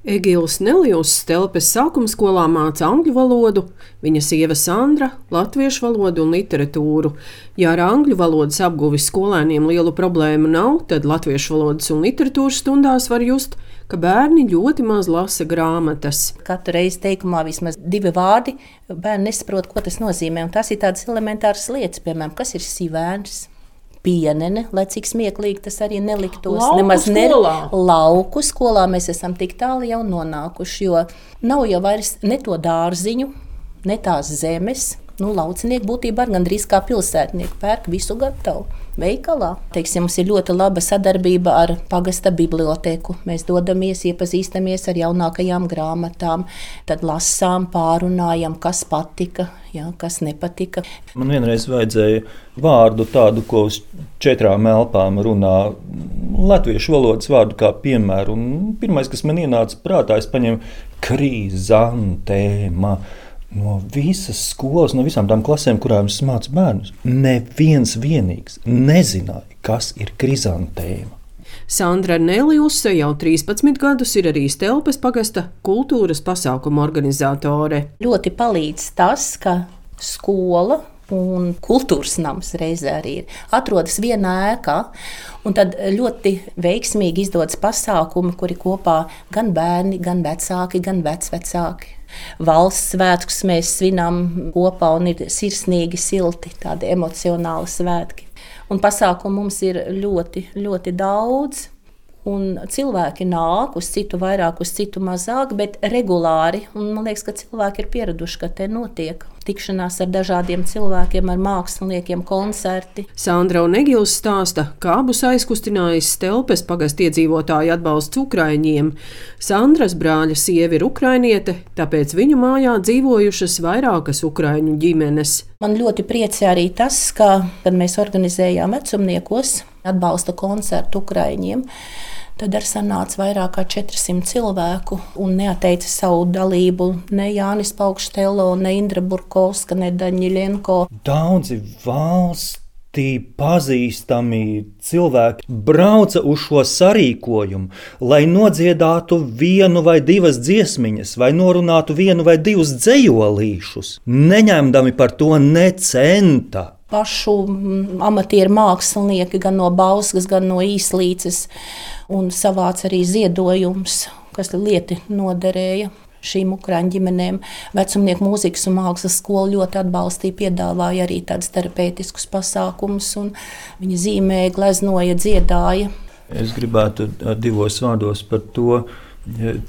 Egils Nelijus Stelpes sākumskolā māca angļu valodu, viņa sieva Sandra latviešu valodu un literatūru. Ja ar angļu valodas apguvi skolēniem lielu problēmu nav, tad latviešu valodas un literatūras stundās var just, ka bērni ļoti maz lasa grāmatas. Katru reizi teikumā vismaz 2 vārdi, bērni nesaprot, ko tas nozīmē. Un tas ir tādas elementāras lietas, piemēram, kas ir sivēns. Pienene, lai cik smieklīgi tas arī neliktos. Lauku skolā mēs esam tik tālu jau nonākuši, jo nav jau vairs ne to dārziņu, ne tās zemes. Laucinieki būtībā gandrīz kā pilsētnieki pērk visu gatavu veikalā. Mums ir ļoti laba sadarbība ar pagasta bibliotēku. Mēs dodamies, iepazīstamies ar jaunākajām grāmatām, tad lasām, pārunājam, kas patika, kas nepatika. Man vienreiz vajadzēja vārdu tādu, ko uz 4 elpām runā, latviešu valodas vārdu kā piemēru. Un pirmais, kas man ienāca prātā, es paņēmu krizantēma. No visas skolas, no visām tām klasēm, kurām es mācu bērnus, neviens vienīgs nezināja, kas ir krizantēma. Sandra Nelijuse jau 13 gadus ir arī Stelpes pagasta kultūras pasākumu organizātore. Ļoti palīdz tas, ka skola un kultūras nams reizē arī atrodas vienā ēkā, un tad ļoti veiksmīgi izdodas pasākumi, kuri kopā gan bērni, gan vecāki, gan vecvecāki. Valsts svētkus mēs svinām kopā un ir sirsnīgi, silti, tādi emocionāli svētki. Un pasākumu mums ir ļoti, ļoti daudz. Un cilvēki nāk uz citu vairāk, uz citu mazāk, bet regulāri. Un man liekas, ka cilvēki ir pieraduši, ka te notiek tikšanās ar dažādiem cilvēkiem, ar māksliniekiem, koncerti. Sandra un Egils stāsta, kā abus aizkustinājis Stelpes pagasta iedzīvotāju atbalsts ukraiņiem. Sandras brāļa sieva ir ukrainiete, tāpēc viņu mājā dzīvojušas vairākas ukraiņu ģimenes. Man ļoti priecē arī tas, ka, kad mēs organizējām vecumniekos atbalsta koncertu ukraiņiem, tad ar sanāca vairāk kā 400 cilvēku un neatteica savu dalību ne Jānis Paukštelo, ne Indra Burkovska, ne Daņiļenko. Daudzi valstī pazīstami cilvēki brauca uz šo sarīkojumu, lai nodziedātu 1 vai 2 dziesmiņas, vai norunātu 1 vai 2 dzejolīšus, neņemdami par to ne centa. Pašu amatieru mākslinieki gan no Bauskas, gan no Īslīces, un savāca arī ziedojumus, kas lieti noderēja šīm ukraiņu ģimenēm. Vecumnieku mūzikas un mākslas skola ļoti atbalstīja, piedāvāja arī tādus terapeitiskus pasākumus, un viņi zīmēja, gleznoja, dziedāja. Es gribētu 2 vārdos par to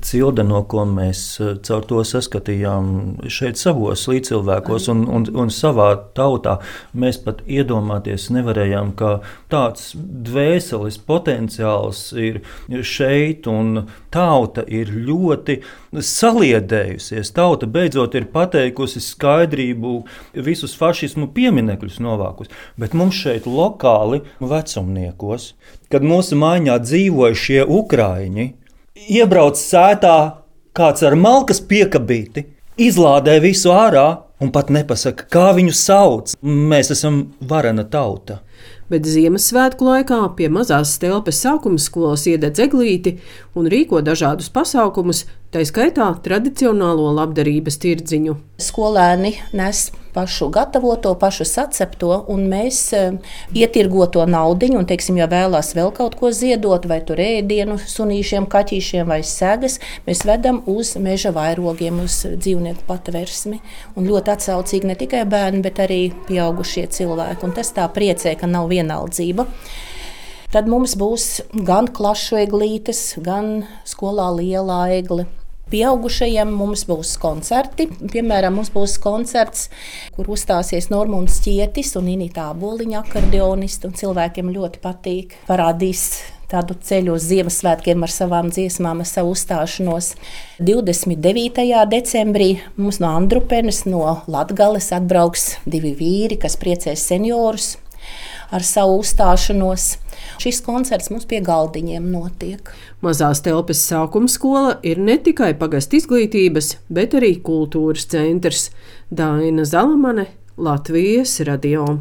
cilde, no ko mēs caur to saskatījām šeit savos līdzcilvēkos un savā tautā. Mēs pat iedomāties nevarējām, ka tāds dvēseles potenciāls ir šeit, un tauta ir ļoti saliedējusies. Tauta beidzot ir pateikusi skaidrību, visus fašismu pieminekļus novākus. Bet mums šeit lokāli vecumniekos, kad mūsu mājā dzīvoja šie ukraiņi, iebrauc sētā kāds ar malkas piekabīti, izlādē visu ārā un pat nepasaka, kā viņu sauc. Mēs esam varena tauta. Bet Ziemassvētku laikā pie mazās Stelpes sākumskolas iededz eglīti un rīko dažādus pasākumus, tā skaitā tradicionālo labdarības tirdziņu. Skolēni nes pašu gatavoto, pašu sacepto, un mēs ietirgoto naudiņu, un, ja vēlās vēl kaut ko ziedot, vai tur ēdienu sunīšiem, kaķīšiem vai segas, mēs vedam uz meža vairogiem, uz dzīvnieku patversmi. Un ļoti atsaucīgi ne tikai bērni, bet arī pieaugušie cilvēki. Un tas tā priecē, ka nav vienaldzība. Tad mums būs gan klašu eglītes, gan skolā lielā egle. Pieaugušajiem mums būs koncerti. Piemēram, mums būs koncerts, kur uzstāsies Normunds Ķietis un Inita Āboliņa akordeonisti, un cilvēkiem ļoti patīk. Parādīs tādu ceļu uz Ziemassvētkiem ar savām dziesmām, ar savu uzstāšanos. 29. decembrī mums no Andrupenes, no Latgales atbrauks 2 vīri, kas priecēs seniorus ar savu uzstāšanos. Šis koncerts mums pie galdiņiem notiek. Mazā Stelpes sākumskola ir ne tikai pagasta izglītības, bet arī kultūras centrs. Daina Zalamane, Latvijas radio.